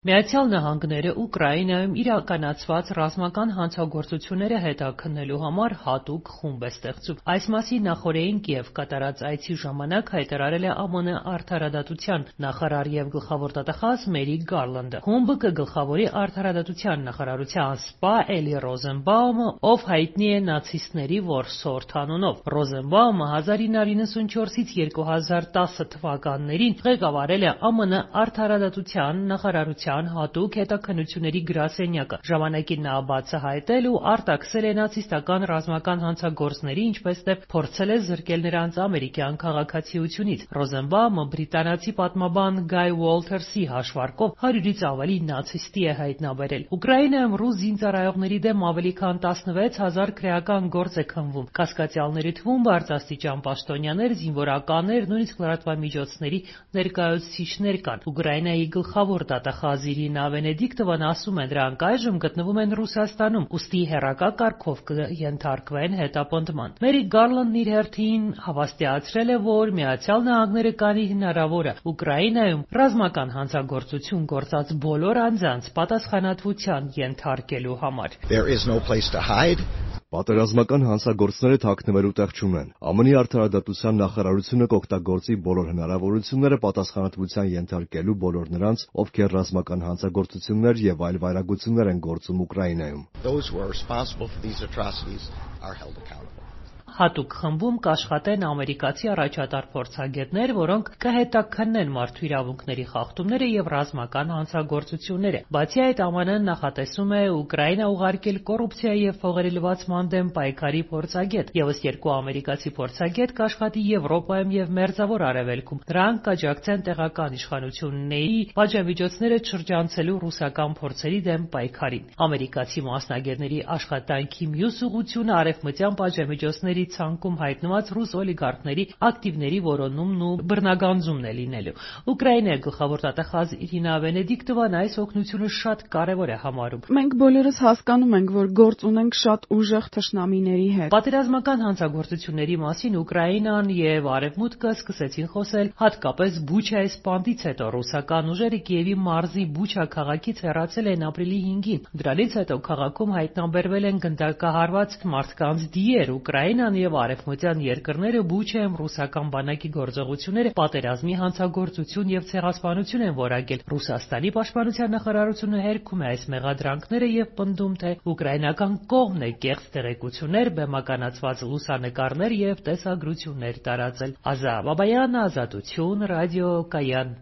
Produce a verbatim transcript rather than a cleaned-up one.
Միացյալ Նահանգները Ուկրաինայում իրականացված ռազմական հանցագործությունները հետաքննելու համար հատուկ խումբ է ստեղծում։ Այս մասին նախօրեին Կիև կատարած այցի ժամանակ հայտարարել է ԱՄՆ արդարադատության նախարար եւ գլխավոր դատախազ Մերիք Գարլանդը։ Խումբը կգլխավորի արդարադատության նախարարության սպա Էլի Ռոզենբաումը, ով հայտնի է նացիստների որսորդ անունով։ Ռոզենբաումը հազար ինը հարյուր իննսունչորսից երկու հազար տասը թվականներին ղեկավարել է ԱՄՆ արդարադատության նախարարության հատուկ հետաքննությունների գրասենյակը։ Ժամանակին նա բացահայտել ու արտաքսել է նացիստական ռազմական հանցագործների, ինչպես նաև փորձել է զրկել նրանց ամերիկյան քաղաքացիությունից։ Ռոզենբաումը բրիտանացի պատմաբան Գայ Ուոլթերսի հաշվարկով հարյուրից ավելի նացիստի է հայտնաբերել։ Ուկրաինայում ռուս զինծառայողների դեմ ավելի քան տասնվեց հազար քրեական գործ է քննվում։ Կասկածյալների թվում բարձրաստիճան պաշտոնյաներ, զինվորականներ, նույնիսկ լրատվամիջոցների ներկայացուցիչներ կան։ Ուկրաինայի գլխավոր դատախազ Իրինա Վենեդիկտովան ասում է, դրանք այժմ գտնվում են Ռուսաստանում, ուստի հեռակա կարգով կենթարկվեն հետապնդման։ Մերիք Գարլանդն իր հերթին հավաստիացրել է, որ Միացյալ Նահանգները կանի հնարավորը Ուկրաինայում ռազմական հանցագործություն գործած բոլոր անձանց պատասխանատվության ենթարկելու համար։ Պատերազմական հանցագործները թաքնվելու տեղ չունեն։ ԱՄՆ-ի արդարադատության նախարարությունը կօգտագործի բոլոր հնարավորությունները պատասխանատվության ենթարկելու բոլոր նրանց, ովքեր ռազմական հանցագործություններ եւ այլ վայրագություններ են գործում Ուկրաինայում։ Հատուկ խմբում կաշխատեն ամերիկացի առաջատար փորձագետներ, որոնք կհետաքննեն մարդու իրավունքների խախտումները եւ ռազմական հանցագործությունները։ Բացի այդ, ԱՄՆ-ն նախատեսում է Ուկրաինա ուղարկել կոռուպցիայի եւ փողերի լվացման դեմ պայքարի փորձագետ։ Եվս երկու ամերիկացի փորձագետ կաշխատի Եվրոպայում եւ Մերձավոր Արևելքում։ Նրանք կաջակցեն տեղական իշխանությունների պատժամիջոցները շրջանցելու ռուսական փորձերի դեմ պայքարին։ Ամերիկացի մասնագետների աշխատանքի մյուս ուղղությունը արևմտյան պատժամիջոցների ցանկում հայտնված ռուս օլիգարխների ակտիվների որոնումն ու բռնագանձումն է լինելու։ Ուկրաինայի գլխավոր դատախազ Իրինա Վենեդիկտովան այս օգնությունը շատ կարևոր է համարում։ Մենք բոլորս հասկանում ենք, որ գործ ունենք շատ ուժեղ թշնամիների հետ։ Պատերազմական հանցագործությունների մասին Ուկրաինան եւ Արևմուտքը սկսեցին խոսել հատկապես Բուչայի սպանդից հետո։ Ռուսական ուժերը Կիևի մարզի Բուչա քաղաքից հեռացել են ապրիլի հինգին։ Դրանից հետո քաղաքում հայտնաբերվել են գնդակահարված մարդկանց դիեր։ Ուկրաինան եւ արևմտյան երկրները Բուչայում ռուսական բանակի գործողությունները պատերազմի հանցագործություն եւ ցեղասպանություն են որակել։ Ռուսաստանի պաշտպանության նախարարությունը հերքում է այս մեղադրանքները եւ պնդում, թե ուկրաինական կողմն է կեղծ տեղեկություններ, բեմականացված լուսանկարներ եւ տեսագրություններ տարածել։ Ազա Բաբայանը, Ազատություն, ռադիո Կայան։